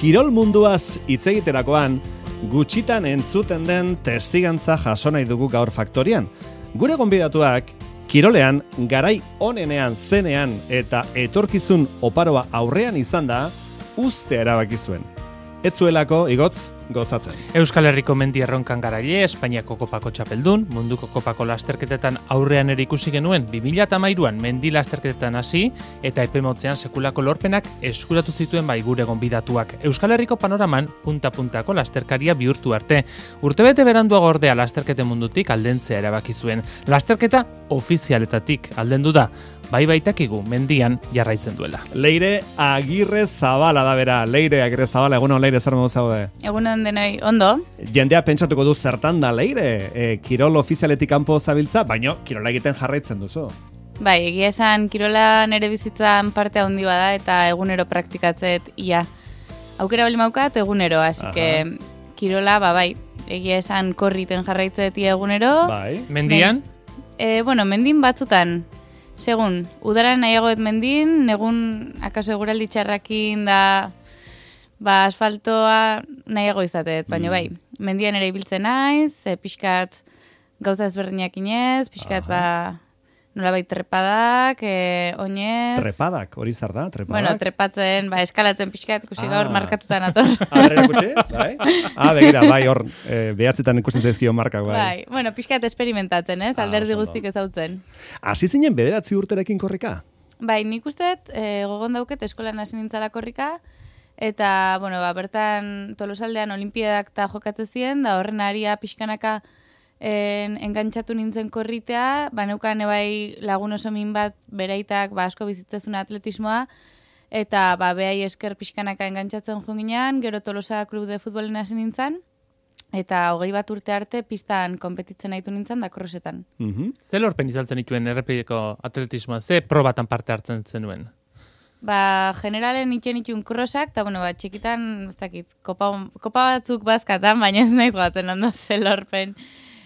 Kirol munduaz hitz egiterakoan, gutxitan entzuten den testigantza jaso nahi dugu gaur faktorian. Gure gonbidatuak, kirolean, garai onenean zenean eta etorkizun oparoa aurrean izan da, uztea erabaki zuen. Ez zuelako, igotz, gozatzen. Euskal Herriko mendi erronkan garaile, Espainiako kopako txapeldun, munduko kopako lasterketetan aurrean ere ikusi genuen 2013an mendi lasterketetan hasi eta epemotzean sekulako lorpenak eskuratu zituen bai gure gonbidatuak. Euskal Herriko panoraman punta-puntako lasterkaria bihurtu arte. Urtebete beranduago ordea lasterketen mundutik aldentzea erabaki zuen. Lasterketa ofizialetatik aldendu da. Bai baitakigu mendian jarraitzen duela. Leire Agirre Zabala da bera. Leire Agirre Zabala, egunon Leire, zer modu zaude? Egunon denoi, ondo. Jendea pentsatuko du zertan da Leire, kirol ofizialetik kanpo zabiltza, baina kirola egiten jarraitzen duzu. Bai, egia esan kirola nere bizitzan parte handi bada eta egunero praktikatzet ia. Aukera bali maukat egunero, así que kirola, bai, egia esan korriten jarraitzet ia egunero. Bai. Mendian? Mendin batzutan. Segun, udaran nahiagoet mendin, negun akaso eguraldi txarrakin da asfaltoa nahiago izatet, baina bai, mendian ere ibiltzen naiz, pixkat gauza ezberdinak inez, pixkat nolabait trepadak, oinez. Trepadak, hori zer da, trepadak? Bueno, trepatzen, eskalatzen pixkat, ikusi gaur markatutan ator. Berrera ikutsi, bai? Begira, bai, hor, behatzetan ikusten zaizkio markak, bai. Bueno, pixkat experimentatzen, alderdi guztik ezautzen. Hasi zinen 9 urterekin korrika? Bai, nik usteet, gogon dauket eskolan hasi nintzala korrika, eta, bertan Tolosaldean olimpiadak eta jokatzen ziren, da horren aria pixkanaka engantxatu nintzen korritea, neukan ebai lagun oso min bat beraitak asko bizitzezun atletismoa, eta behai esker pixkanaka engantxatzen junginean, gero Tolosa klub de futbolen hasi nintzen, eta 21 urte arte pistan konpetitzen nahitu nintzen da korrosetan. Ze lorpen izaltzen dituen errepideko atletismoa, ze probatan parte hartzen zenuen? Generalen itun krosak, eta txikitan, ez dakit, kopa batzuk bazkatan, baina ez naiz goatzen ondo ze lorpen.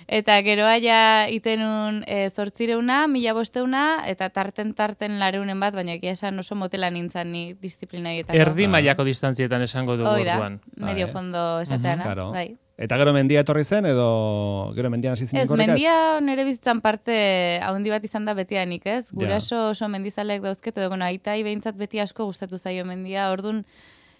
Eta geroa ja itenun 800, 1500 eta tarten lareunen bat, baina egia esan oso motela nintzen ni disiplina horietako. Erdi mailako distantzietan esango dugu orduan. Medio fondo esateana. Bai. Eta gero mendia etorri zen, edo gero mendian hasi zinen korrikaz? Ez, mendia nire bizitzan parte haundi bat izan da betianik, ez? Guraso oso mendizalek dauzket, edo aitai behintzat beti asko gustatu zaio mendia, orduan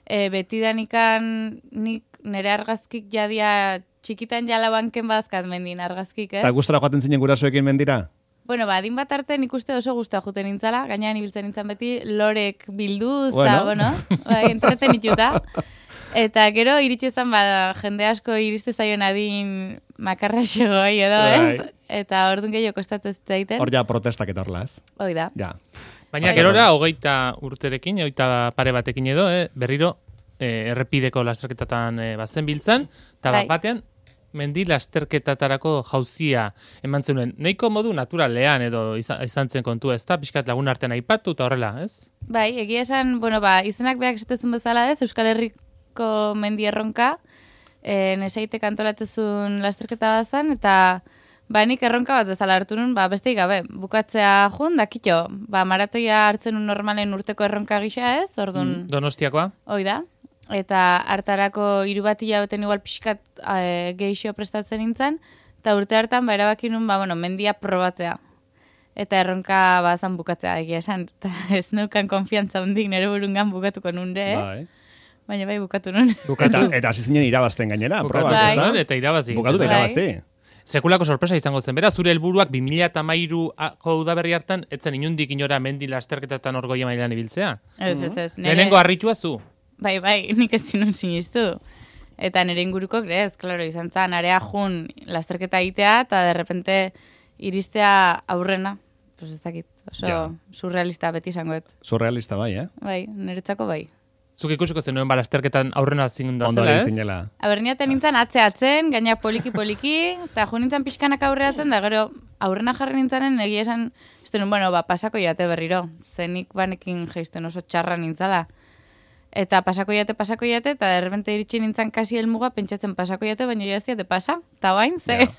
betidanikan nik nire argazkik jadia txikitan jala banken bazkat mendin argazkik, ez? Eta gustora joaten zinen gurasoekin mendira? Adin bat arte nik uste oso guztua juten nintzala, gainean ibiltzen nintzen beti lorek bilduz, entreten ituta. Eta gero iritsi izan jende asko iriste zaion adin makarra xegoi edo, ez? Eta orduan gehiago kostatuz zaiten. Hor ja protestak eta horla, ez? Hoi da. Baina gerora, 20 urterekin, 20 pare batekin edo, berriro errepideko lasterketatan bazen biltzan, eta batean mendi lasterketatarako jauzia eman zenuen. Nahiko modu naturalean edo izan zen kontua, ez da? Pixkat lagun artean aipatu eta horrela, ez? Bai, egia esan, izenak behak esatezun bezala, ez? Euskal Herriko mendi erronka, nesaitek antolatzezun lasterketa bazan, eta nik erronka bat bezala hartu nun, besteik gabe, bukatzea jun, dakito, maratoia hartzen un normalen urteko erronka gisa, ez? Orduan, Donostiakoa? Hoi da. Eta hartarako 3 bat hilabetean igual pixkat geixo prestatzen nintzen, eta urte hartan erabaki nun, mendia probatzea. Eta erronka bazan bukatzea egia esan, eta ez neukan konfiantza hondik nire burungan bukatuko nunde, Baina bukatu nun. Eta hasi zinen irabazten gainera, probak, ez da? Eta irabazi. Bukatu eta irabazi. Sekulako sorpresa izango zen, bera, zure helburuak 2013ko udaberri hartan, etzen inundik inora mendi lasterketatan orgoia mailan ibiltzea? Ez. Lehenengo harritua zu? Bai, nik ez zinun sinistu. Eta nire inguruko, klaro, izan zan, area jun lasterketa egitea, eta derrepente iristea aurrena. Pues ez dakit, oso surrealista beti izangoet. Surrealista bai, Bai, niretzako bai. Zuk ikusiko zenuen lasterketan aurrena zinda zela, ez? Zinela. Niaten nintzen atze-atzen, gaina poliki-poliki, eta jo nintzen pixkanak aurreatzen, da gero aurrena jarri nintzanen, egia esan, pasako jate berriro. Zenik banekin geizten oso txarra nintzala. Eta pasako jate, eta derrepente iritsi nintzen kasi helmuga, pentsatzen pasako jate, baina jaztiate pasa, eta bain, ze.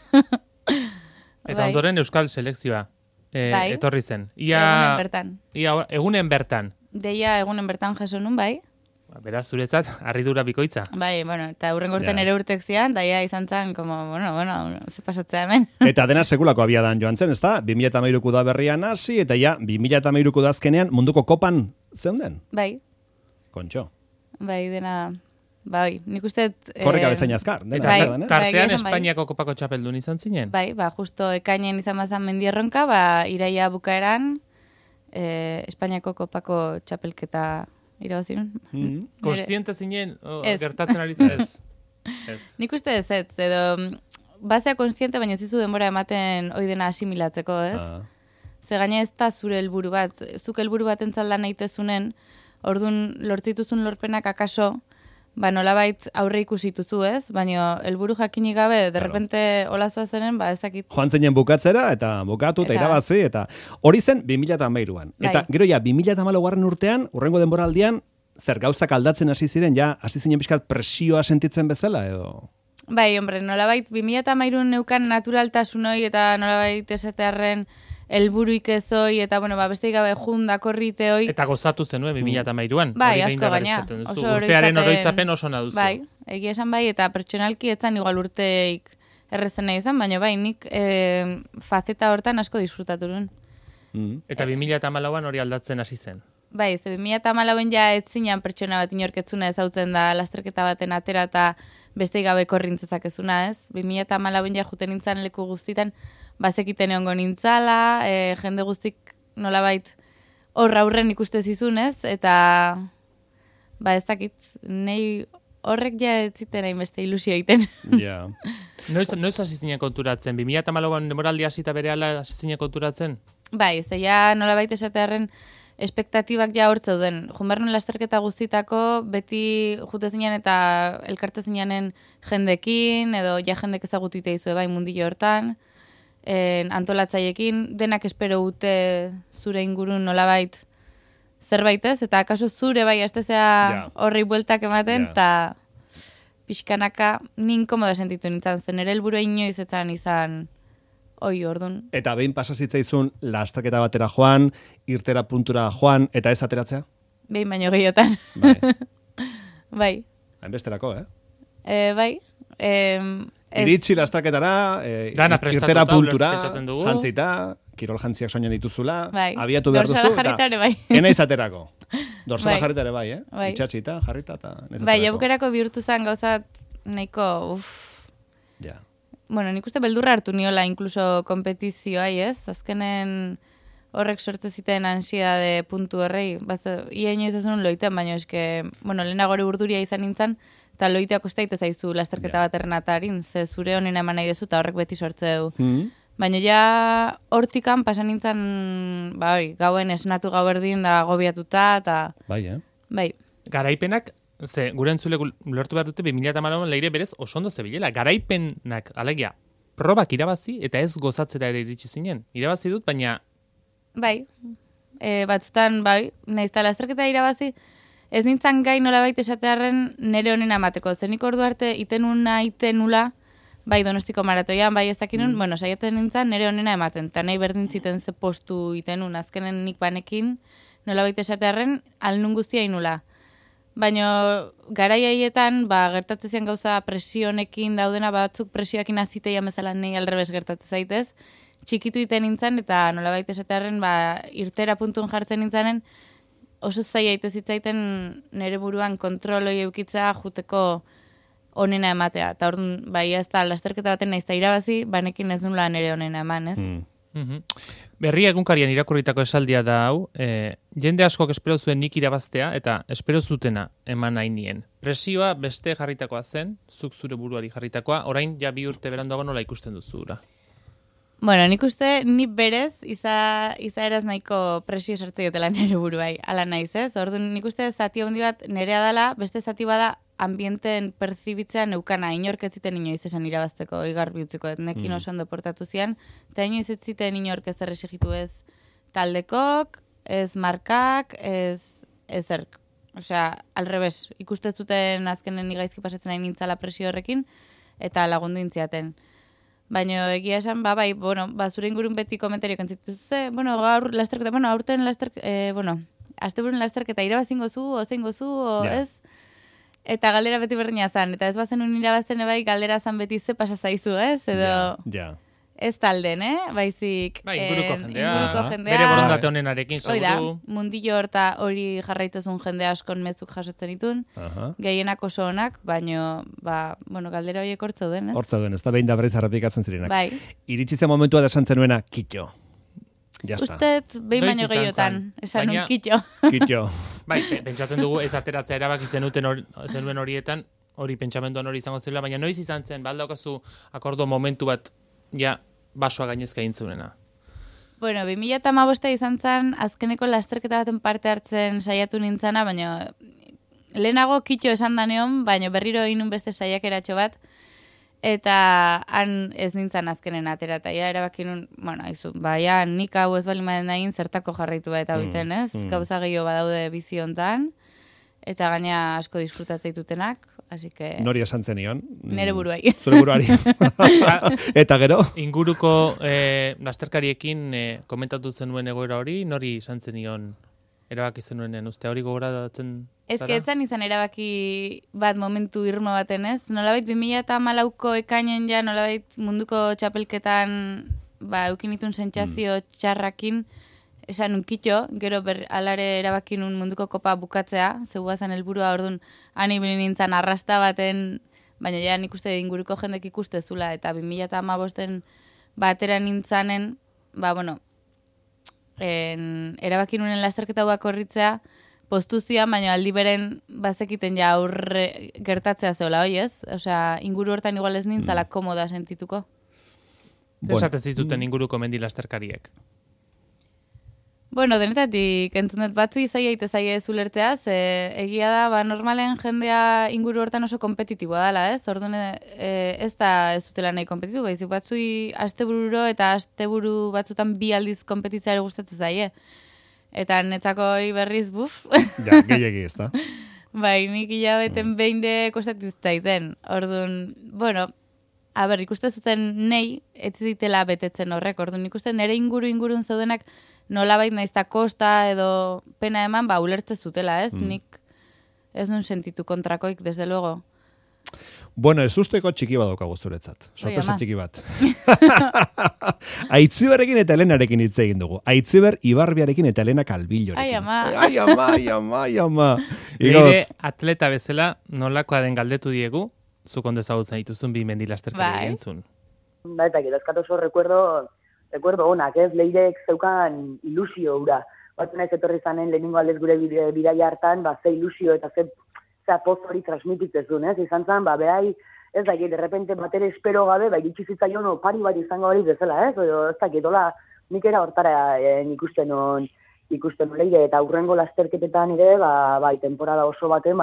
Eta ondoren Euskal Selekzioa etorri zen. Egunen bertan. Egunen bertan. Deia egunen bertan jaso nun, bai. Beraz, zuretzat, harridura bikoitza. Bai, bueno, eta hurrengo urtean Ja. ere urtek zian, da ja izan zen, como, bueno, ze pasatzea hemen. Eta dena sekulako abiadan joan zen, ezta? 2013ko da berrian hasi, eta ja, 2013ko da azkenean munduko kopan zeunden? Bai, Kontxo. bai, dena, bai, nik uste... Korrika bezain azkar, dena Eta bai, azkar, eh? bai, tartean egia esan bai. Espainiako kopako txapeldun izan zinen. Bai, justo ekainen izan bazan mendierronka, iraia bukaeran, Espainiako kopako txapelketa irabazin. Konstiente zinen, Ez. gertatzen ari ez. Ez. Nik uste ez, edo bazea konstiente, baina ez dizu denbora ematen hoi dena asimilatzeko, ez? Ze gaina ez da zure helburu bat, zuk helburu bat entzalda nahitezunen, orduan lortituzun lorpenak akaso, nolabait aurre ikusituzu, ez? Baina helburu jakinik gabe, derrepente olazoa zenen, ezakit. Joan zinen bukatzera, eta bukatu, eta Eta- irabazi, eta hori zen 2013an. Eta Bai. gero ja, 2014garren urtean, urrengo denboraldian, zer gauzak aldatzen hasi ziren, ja, hasi zinen pixkat presioa sentitzen bezala, edo... Bai, hombre, nolabait 2013 neukan naturaltasun hoi eta nolabait esatearren helburuik ez hoi, eta besteik gabe junda korrite hoi. Eta gozatu zenuen 2013an. Bai, Hori behin asko da berriz gaina. esaten duzu. Oso Urtearen oroitzapen oso naduzu. Bai, egia esan bai, eta pertsonalki etzan igual urteik errezena izan, baina bai, nik faceta hortan asko disfrutatu nuen. Eta 2014an hori aldatzen hasi zen. Bai, ze 2014an ja ez zinan pertsona bat inorketzuna ezautzen da lasterketa baten atera eta besteik gabe korrintzezak ezuna, ez? 2014an ja juten nintzen leku guztitan, bazekiten egongo nintzala, jende guztik nolabait horra aurren ikuste zizun, ez? Eta, ez dakit, nei horrek ja ez ziten hainbeste ilusio egiten. Ja. Noiz hasi zinen konturatzen? 2014an demoraldi hasita berehala hasi zinen konturatzen? Bai, ze ja nolabait esatearren espektatibak ja hor zeuden. Junbernen lasterketa guztitako beti jute zinen eta elkarte zinanen jendekin, edo ja jendek ezagutu ite izue bai mundillo hortan, antolatzaiekin, denak espero ute zure ingurun nolabait zerbait ez, eta akaso zure bai astezea horrei bueltak ematen, eta pixkanaka nin komoda sentitu nintzen, zen ere helburua inoiz etzan izan hoi ordun. Eta behin pasazitzaizun lasterketa batera joan, irtera puntura joan, eta ez ateratzea? Behin baino gehiotan. Bai. Bai. Hainbesterako, Bai. Iritsi lasterketara, Dana prestatuta, irtera puntura, pentsatzen dugu. jantzita, kirol jantziak soinan dituzula, Bai. abiatu behar Dorsala duzu, jarrita ere bai. ena izaterako. Dorsala Bai. jarrita ere bai, Bai. Itxatxita, jarrita, eta Bai, jabukerako bihurtu zen gauzat nahiko, Ja. Bueno, nik uste beldurra hartu niola inkluso kompetizioai, ez? Azkenen horrek sortu ziten ansiedade puntu horrei. Ia inoiz ez nuen loiten, baina eske, lehenago hori burduria izan nintzen, eta loitea kostaite zaizu lasterketa bat errenatarin, ze zure honena eman nahi dezu, eta horrek beti sortze du. Baina ja hortikan pasan nintzen, gauen esnatu gauerdin da gobiatuta, eta... Bai, Bai. Garaipenak, gure entzule lortu behar dute 2014an leire berez oso ondo zebilela. Garaipenak, alegia, probak irabazi eta ez gozatzera ere iritsi zinen. Irabazi dut, baina... Bai. Batzutan, naizta lasterketa irabazi, ez nintzen gai nolabait esatearren nere honen amateko. Zenik ordu arte itenuna, bai Donostiko maratoian, bai ez dakinun, saiatzen nintzen nere honena ematen. Eta nahi berdin ziten ze postu itenun, azkenen nik banekin, nolabait esatearren, alnun guztia inula. Baina garai haietan, gertatzen zian gauza presionekin daudena, batzuk presioakin aziteia bezala nahi alrebes gertatzen zaitez, txikitu iten nintzen, eta nolabait esatearren, irtera puntun jartzen nintzanen, oso zaila ite zitzaiten nere buruan kontroloi eukitza juteko onena ematea. Eta orduan, ez da, lasterketa baten naizta irabazi, banekin ez nula nere onena eman, ez? Berria egunkarian irakurritako esaldia da hau, jende askok espero zuen nik irabaztea, eta espero zutena eman nahi nien. Presioa beste jarritakoa zen, zuk zure buruari jarritakoa, orain ja 2 urte beranduago nola ikusten duzura. Bueno, nik uste, ni berez, izaeraz nahiko presio sartu diotela nire buruai, ala naiz, ez? Orduan, nik uste zati handi bat nerea dala, beste zati bada ambienten perzibitzea neukana, inork ez ziten inoiz esan irabazteko, igar bihutziko, nekin oso ondo portatu zian, eta inoiz ez ziten inork ez errexigitu ez taldekok, ez markak, ez ezerk. Osea, alrebes, ikuste zuten azkenen igaizki pasatzen nahi nintzala presio horrekin, eta lagundu intziaten. Baina egia esan, zure ingurun beti komentarioak entzituzu ze, gaur lasterketa, aurten asteburun lasterketa irabazingo zu, ozengo zu, Ja. ez? Eta galdera beti berdina zan, eta ez bazenun irabazten bai galdera zan beti ze pasa zaizu, ez? Edo Ja. ez talden, baizik Bai, inguruko jendea, inguruko jendea. bere borondate honenarekin, Hoi da, seguru. mundillo horta hori jarraituzun jende askon mezuk jasotzen ditun, Aha. gehienak oso onak, baino, galdera horiek hortz zauden, ez? Hor zauden, ez da behin da berriz errepikatzen zirenak. Bai, Iritsi zen momentua da esan zenuena, kitxo. Ja está. ustet, behin Noiz baino izan gehiotan, zen? esan Baina- un kitxo. Kitxo. Bai, pentsatzen dugu ez ateratzea erabaki zenuen horietan, hori pentsamenduan hori izango zela, baina noiz izan zen, baldaukazu akordo momentu bat, ja, basoa gainezka egin zuenena. Bueno, 2015 izan zen, azkeneko lasterketa baten parte hartzen saiatu nintzana, baina lehenago kitxo esan daneon, baina berriro inun beste saiakeratxo bat, eta han ez nintzen azkenen atera, eta ja erabaki nun, bueno, aizu, ja nik hau ez bali maden egin zertako jarraitu bat eta biten, ez? Gauza gehiago badaude bizi hontan, eta gaina asko disfrutatzen ditutenak, así que... Nori esan zenion. Nere buruai. Zure buruari. Eta gero? Inguruko lasterkariekin komentatu zenuen egoera hori, nori izan zenion erabaki zenuenen, uste hori gogoratzen Ez que etzan izan erabaki bat momentu irmo baten, ez? Nolabait 2014ko ekainen ja, nolabait munduko txapelketan eukinitun sentsazio txarrakin, esan unkitxo, gero alare erabakin un munduko kopa bukatzea, zegoazan helburua orduan ani bilin nintzen arrasta baten, baina ja nik uste inguruko jendek ikuste zula, eta 2015 batera nintzanen, erabakin unen lasterketa guak horritzea, postuzioan, baina aldi beren bazekiten ja aurre gertatzea zeola, hoi ez? Osea, inguru hortan igual ez nintzala komoda sentituko. Zer esatez dituten inguruko mendi lasterkariek? Bueno, denetatik entzunet batzu izai aite zaie ez ulertzeaz, egia da, normalen jendea inguru hortan oso kompetitiboa dela, ez? Orduan ez da ez dutela nahi kompetitu, baizik batzui astebururo eta asteburu batzutan bi aldiz kompetitzeare gustatzen zaie. Eta netzako berriz, buf. Ja, gehiagi ez da. Bai, nik hilabeten behin de kostatu zaiten. Orduan, bueno, ikuste zuten nei, ez zitela betetzen horrek. Orduan, ikuste nire ingurun zeudenak nolabait naizta kosta edo pena eman, ulertze zutela, ez? Nik ez nun sentitu kontrakoik, desde luego. Bueno, ez usteko txiki bat daukagu zuretzat. Sorpresa ama. txiki bat. Aitziberrekin eta Elenarekin hitz egin dugu. Aitziber Ibarbiarekin eta Elena Kalbillorekin. Ai, ama. Ai, ama, ai, ama, ai, ama. Nire atleta bezala nolakoa den galdetu diegu, zuk ondo ezagutzen dituzun bi mendi lasterkari Bai. egintzun. Ba, eta gero oso recuerdo onak, ez? Leirek zeukan ilusio hura. Batzen ez etorri zanen lehenengo aldez gure bidaia hartan, ze ilusio eta ze poz hori transmititzen zuen, ez? Izan zen, behai, ez dakit, de repente batere espero gabe, iritsi zitzaion opari bat izango hori bezala, ez? Edo, ez dakit, hola, nik era hortara ikusten on leire, eta aurrengo lasterketetan ere, temporada oso baten,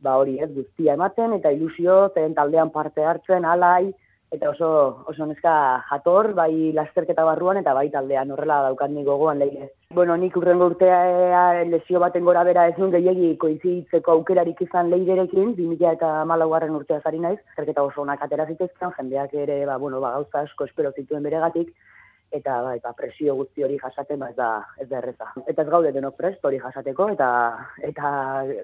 hori, ez, guztia ematen, eta ilusio, zen taldean parte hartzen, alai, eta oso neska jator, bai lasterketa barruan, eta bai taldean, horrela daukat nik gogoan leire. Bueno, nik urrengo urtea lesio baten gora bera ez nun gehiagi koiziditzeko aukerarik izan leirerekin, 2014 urtea zari naiz, lasterketa oso onak atera zitezken, jendeak ere, gauza asko espero zituen beregatik, eta presio guzti hori jasaten, ez da erreza. Eta ez gaude denok prest hori jasateko, eta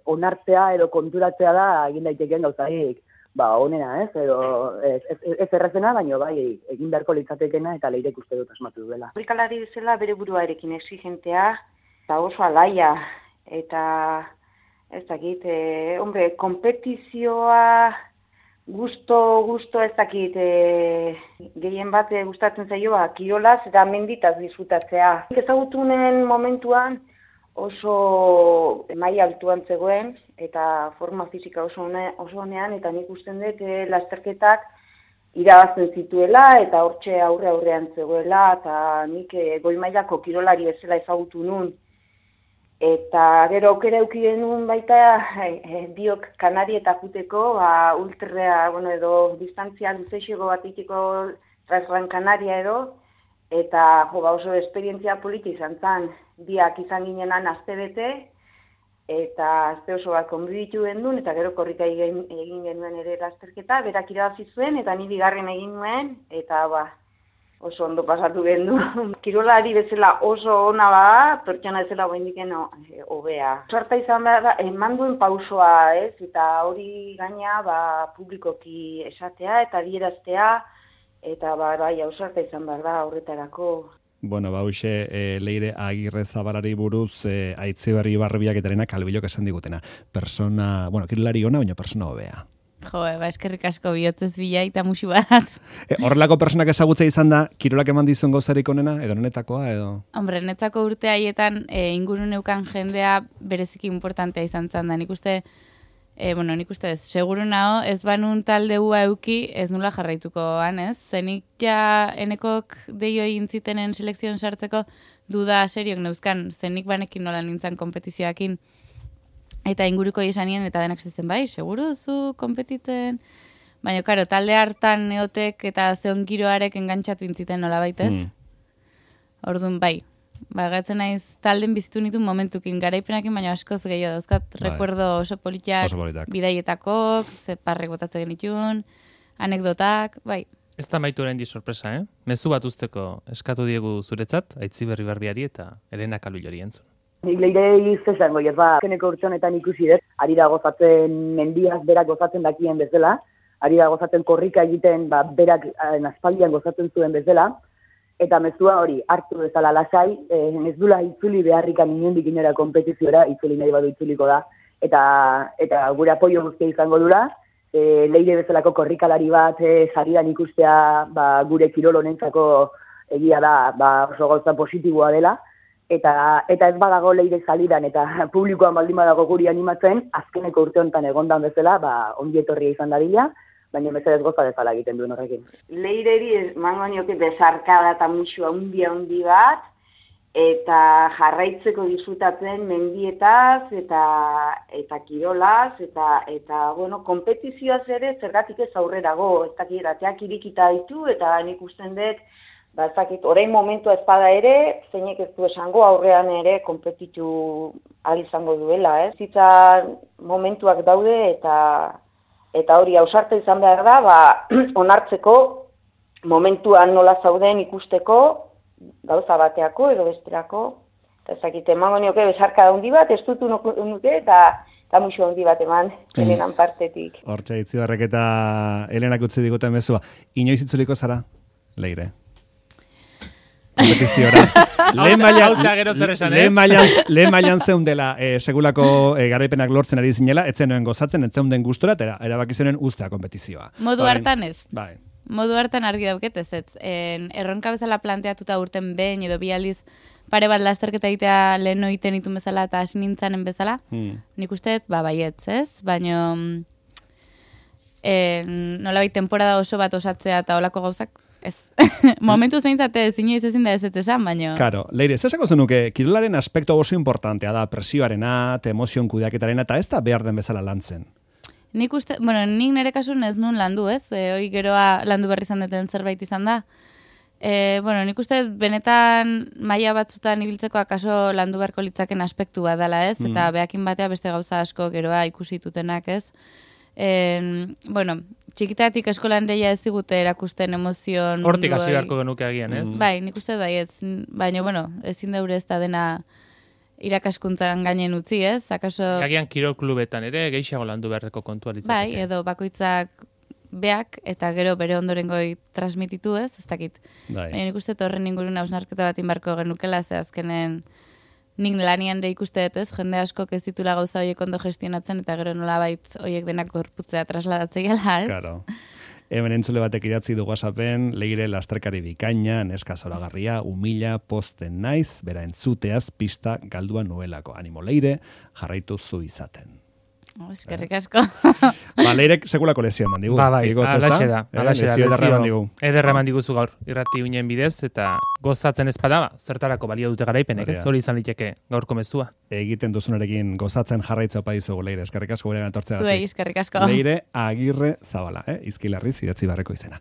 onartzea edo konturatzea da egin daitekeen gauzaik, honena, ez, edo ez errazena, baina bai egin beharko litzatekena eta leirek uste dut asmatu duela. Korrikalari bezala bere buruarekin exigentea, eta oso alaia, eta ez dakit, kompetizioa gusto ez dakit, gehien bat gustatzen zaio, kirolaz eta menditaz disfrutatzea. Ezagutunen momentuan, oso maila altuan zegoen eta forma fisika oso honean, eta nik usten dut lasterketak irabazten zituela eta hortxe aurrean zegoela, eta nik goi mailako kirolari ezela ezagutu nun. Eta gero aukera eduki genuen baita biok Kanarieta juteko, ultrea, edo distantzia luzeixego bat itiko Transgran Canaria edo, eta oso esperientzia politi izan zen, biak izan ginenan astebete, eta aste oso bat konbiditu gendun, eta gero korrika egin genuen ere lasterketa, berak irabazi zuen, eta ni bigarren egin nuen, eta oso ondo pasatu gendu. Kirolari bezala oso ona bada, pertsona bezala oraindiken hobea. Sorta izan behar da, eman duen pausoa, ez? Eta hori gaina publikoki esatea eta adieraztea, eta bai, ausarta izan behar da horretarako. Bueno, hauxe Leire Agirre Zabalari buruz Aitziberri Barbiak eta Elena Kalbilok esan digutena. Persona, kirolari ona, baina persona hobea. Jo, eskerrik asko bihotzez bila eta musu bat. Horrelako personak ezagutza izan da, kirolak eman dizuen gozarik onena, edo netakoa, edo? Hombre, netzako urte haietan ingurun neukan jendea bereziki importantea izan zan da. Nik uste ez, seguru nao, ez banun taldeua euki, ez nula jarraitukoan, ez? Zenik ja enekok deio egin zitenen selekzioan sartzeko duda seriok neuzkan, zenik banekin nola nintzen kompetizioakin. Eta inguruko izanien eta denak zitzen bai, seguru zu kompetiten. Baina, karo, talde hartan neotek eta zeon giroarek engantxatu intziten nola baitez. Orduan, bai. Gatzen naiz talden bizitu nitu momentukin, garaipenakin, baina askoz gehiago dauzkat. Recuerdo oso politak, bidaietako, zeparrek botatzen genitun, anekdotak, bai. Ez da maitu orain di sorpresa, Mezu bat usteko eskatu diegu zuretzat, Aitziberri Barbiari eta Elena Kalbilori entzun. Nik Leire izango, keneko urtsonetan ikusi dut, ari da gozatzen mendiaz berak gozatzen dakien bezala, ari da gozatzen korrika egiten berak aspaldian gozatzen zuen bezala, eta mezua hori hartu bezala lasai, ez dula itzuli beharrikan inondik inora kompetiziora, itzuli nahi badu itzuliko da, eta gure apoio guztia izango dura, Leire bezalako korrikalari bat sarian ikustea gure kirol honentzako egia da oso gauza positiboa dela, eta ez badago Leire salidan eta publikoan baldin badago guri animatzen, azkeneko urte honetan egondan bezala, ongi etorria izan dadila, baina mesedez goza dezala egiten duen horrekin. Leireri emango nioke besarkada eta musu handi bat, eta jarraitzeko disfrutatzen mendietaz eta kirolaz, eta kompetizioaz ere zergatik ez aurrerago, ez dakit ateak irikita ditu, eta nik usten dut, orain momentua espada ere, zeinek ez du esango aurrean ere kompetitu ahal izango duela, Zitza momentuak daude eta hori ausarta izan behar da, onartzeko momentuan nola zauden ikusteko, gauza bateako edo besterako, eta ezakite emango nioke besarka handi bat, ez dutu nuke eta musu handi bat eman Elenan partetik. Hortxe, Aitziberrek eta Elenak utzi diguten mezua. Inoiz itzuliko zara, Leire? Kompetiziora. Lehen mailan zeundela segulako garaipenak lortzen ari zinela, etzen noen gozatzen, etzen den gustora, eta erabaki zenen ustea kompetizioa. Modu hartan ez. Bai. Modu hartan argi dauket ez. Erronka bezala planteatuta urten behin edo bi aldiz pare bat lasterketa egitea lehen oiten itun bezala eta hasi nintzanen bezala, nik uste baietz, ez? Baina nolabait temporada oso bat osatzea eta olako gauzak, ez. Momentuz behintzate inoiz ezin da ez esan, baina... Karo, Leire, ez esako zenuke, kirolaren aspektu oso importantea da, presioarena, emozion kudeaketarena, eta ez da behar den bezala lantzen. Nik uste, nik nire kasun ez nun landu, ez? Hoi geroa landu berri izan duten zerbait izan da. Nik uste benetan maila batzutan ibiltzeko akaso landu beharko litzaken aspektu bat dela, ez? Eta behakin batea beste gauza asko geroa ikusi ditutenak, ez? Txikitatik eskolan deia ez digute erakusten emozion... Hortik hasi beharko genuke agian, ez? Bai, nik uste baietz. Baina, ezin daure ez da dena irakaskuntzan gainen utzi, ez? Akaso... Agian kirol klubetan ere, gehiago landu beharreko kontua litzateke. Bai, edo bakoitzak beak, eta gero bere ondorengoi transmititu, ez? Ez dakit. Baina nik uste horren ingurun hausnarketa bat inbarko genukela, ze azkenen nik lanian de ikuste dut, ez? Jende askok ez ditula gauza horiek ondo gestionatzen, eta gero nolabait horiek denak gorputzea trasladatzea, ez? Claro. Hemen entzule batek idatzi du WhatsAppen, Leire lasterkari bikaina, neska zoragarria, humila, posten naiz, bera entzuteaz pista galdua nuelako. Animo Leire, jarraitu zu izaten. Eskerrik asko. Leirek sekulako lesio eman digu. Bai, alaxe da. Lesio ederra eman digu. Ederra eman diguzu gaur, irrati uinen bidez, eta gozatzen ezpada, zertarako balio dute garaipenek, ez? Hori izan liteke gaurko mezua. Egiten duzunarekin gozatzen jarraitza opa dizugu, Leire. Eskerrik asko gure gantortzea. Zuei, eskerrik asko. Leire Agirre Zabala, Izkilarriz idatzi barreko izena.